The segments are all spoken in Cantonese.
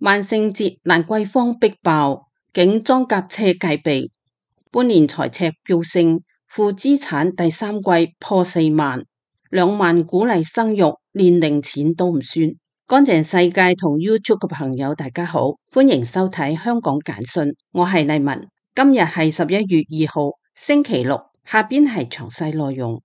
萬聖節蘭桂坊逼爆，警裝甲車戒備，半年財赤飆升，負資產第三季破4萬，2萬鼓勵生育，連零錢都唔算。乾淨世界同 YouTube 嘅朋友大家好，歡迎收睇香港簡訊，我係麗文。今日係11月2號星期六，下邊係詳細內容。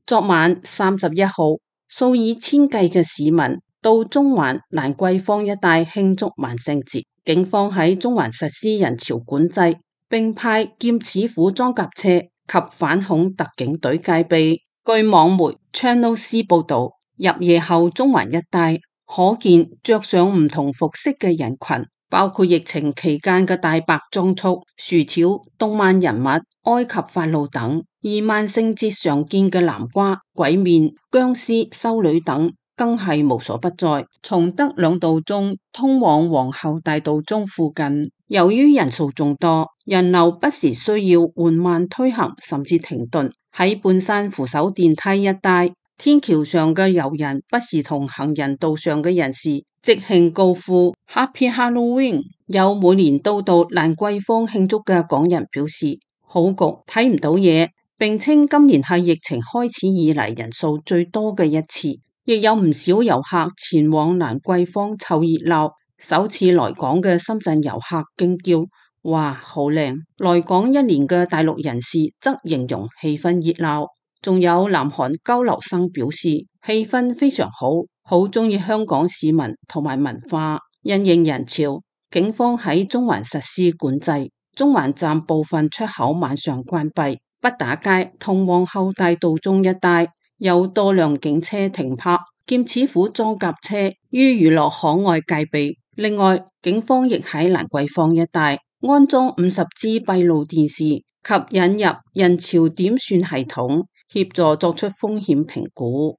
昨晚31號，數以千計嘅市民到中環蘭桂坊一帶慶祝萬聖節，警方喺中環實施人潮管制，並派劍齒虎裝甲車及反恐特警隊戒備。據網媒 Channel C 報道，入夜後中環一帶可見着上唔同服飾嘅人群，包括疫情期間嘅大白裝束、薯條、動漫人物、埃及法老等。而萬聖節常見嘅南瓜、鬼面、僵屍、修女等更係無所不在。崇德兩道中通往皇后大道中附近，由於人數眾多，人流不時需要緩慢推行，甚至停頓。喺半山扶手電梯一帶，天橋上嘅遊人不時同行人道上嘅人士即興高呼 Happy Halloween。有每年都到蘭桂坊慶祝嘅港人表示，好焗，睇唔到嘢，並稱今年係疫情開始以嚟人數最多嘅一次，亦有唔少遊客前往蘭桂坊湊熱鬧。首次來港嘅深圳遊客驚叫：哇，好靚！來港一年嘅大陸人士則形容氣氛熱鬧。仲有南韓交流生表示，氣氛非常好，好鍾意香港市民同埋文化。因應人潮，警方喺中環實施管制，中環站部分出口晚上關閉。北打街同皇后大道中一帶有多輛警車停泊，劍齒虎裝甲車於娛樂可愛戒備。另外，警方亦喺蘭桂坊一帶安裝50支閉路電視及引入人潮點算系統，協助作出風險評估。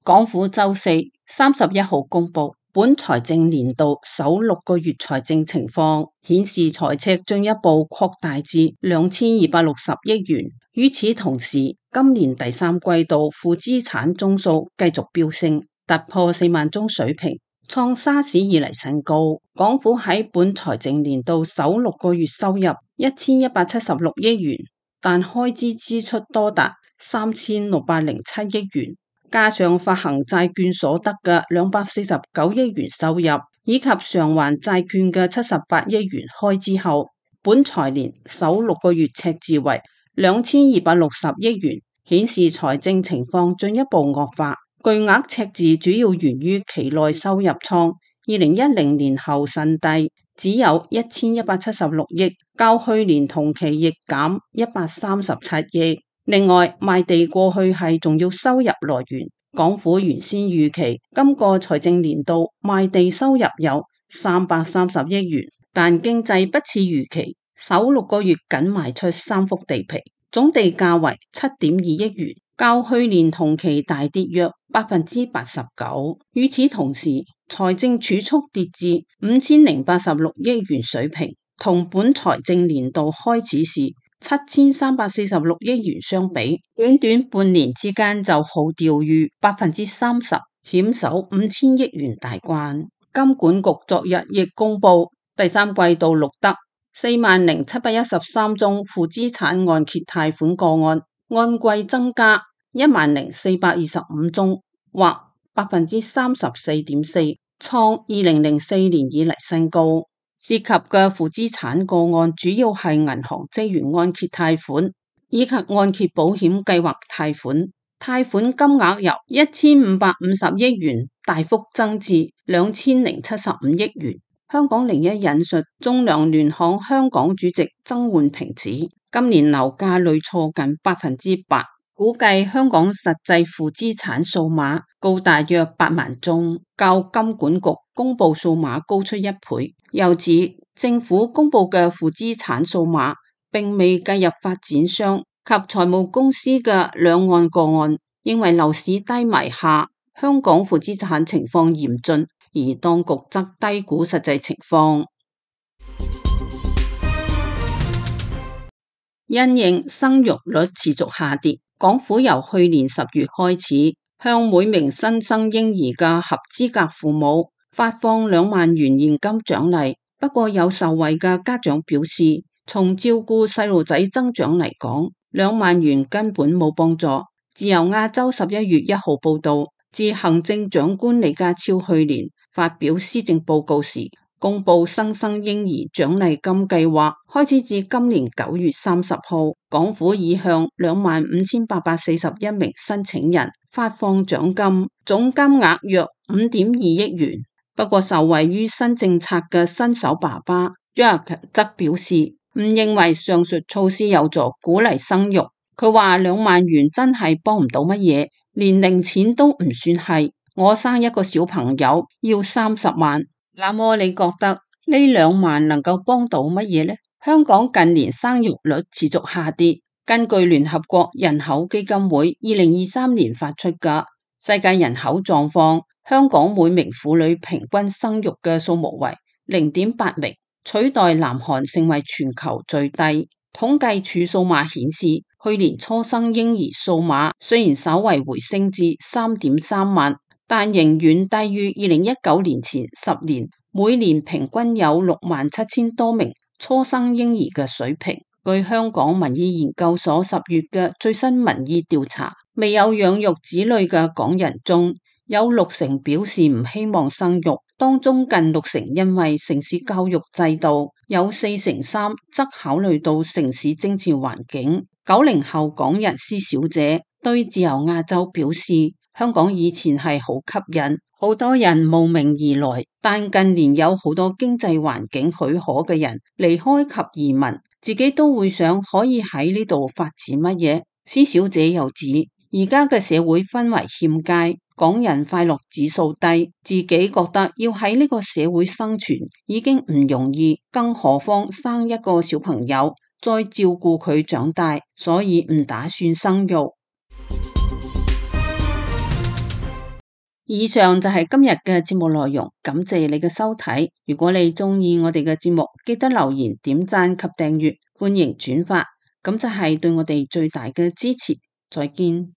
港府週四31號公佈本財政年度首6個月財政情況，顯示財赤進一步擴大至2260億元。與此同時，今年第三季度負資產宗數繼續飆升，突破4萬宗水平，創沙士以嚟新高。港府喺本財政年度首6個月收入1176億元，但開支支出多達3607億元。加上發行債券所得嘅249億元收入，以及償還債券嘅78億元開支後，本財年首6個月赤字為2260億元，顯示財政情況進一步惡化。巨額赤字主要源於期內收入創2010年後新低，只有1176億，較去年同期亦減137億。另外，賣地過去係重要收入來源。港府原先預期今個財政年度賣地收入有330億元，但經濟不似預期，首6個月僅賣出3幅地皮，總地價為7.2億元，較去年同期大跌約89%。與此同時，財政儲蓄跌至5086億元水平，同本財政年度開始時7346億元相比，短短半年之間就好掉逾30%，險守5000億元大關。金管局昨日亦公布第三季度錄得40713宗負資產按揭貸款個案，按季增加10425宗，或34.4%，創2004年以嚟新高。涉及嘅負資產個案主要係銀行職員按揭貸款以及按揭保險計劃貸款，貸款金額由1550億元大幅增至2075億元。香港01引述仲量聯行香港主席曾煥平指，今年樓價累挫近8%，估計香港實際負資產數碼高達約8萬宗，較金管局公布數碼高出1倍。又指政府公布嘅負資產數碼並未計入發展商及財務公司嘅兩岸個案，認為樓市低迷下，香港負資產情況嚴峻，而當局則低估實際情況。因應生育率持續下跌，港府由去年10月開始，向每名新生嬰兒嘅合資格父母發放2萬元現金獎勵。不過有受惠嘅家長表示，從照顧細路仔增長嚟講，2萬元根本冇幫助。自由亞洲11月1號報道，自行政長官李家超去年發表施政報告時，公布新生嬰兒獎勵金計劃，開始至今年9月30號，港府已向25,841名申請人發放獎金，總金額約5.2億元。不過受惠於新政策嘅新手爸爸 Jack 則表示，唔認為上述措施有助鼓勵生育。佢話2萬元真係幫唔到乜嘢，連零錢都唔算係。我生一個小朋友要30萬，那麼你覺得呢2萬能夠幫到乜嘢呢？香港近年生育率持續下跌，根據聯合國人口基金會2023年發出嘅世界人口狀況，香港每名婦女平均生育嘅數目為0.8名，取代南韓成為全球最低。統計處數碼顯示，去年初生嬰兒數碼雖然稍為回升至3.3萬，但仍遠低於2019年前10年每年平均有67000多名初生嬰兒嘅水平。據香港民意研究所10月嘅最新民意調查，未有養育子女嘅港人中，有60%表示唔希望生育，當中近60%因為城市教育制度，有43%則考慮到城市政治環境。90後港人施小姐對自由亞洲表示，香港以前係好吸引，好多人慕名而來，但近年有好多經濟環境許可嘅人離開及移民，自己都會想可以喺呢度發展乜嘢。施小姐又指，而家嘅社會氛圍欠佳，港人快樂指數低，自己覺得要喺呢個社會生存已經唔容易，更何況生一個小朋友再照顧佢長大，所以唔打算生育。以上就係今日嘅節目內容，感謝你嘅收睇。如果你中意我哋嘅節目，記得留言、點讚及訂閱，歡迎轉發，咁就係對我哋最大嘅支持。再見。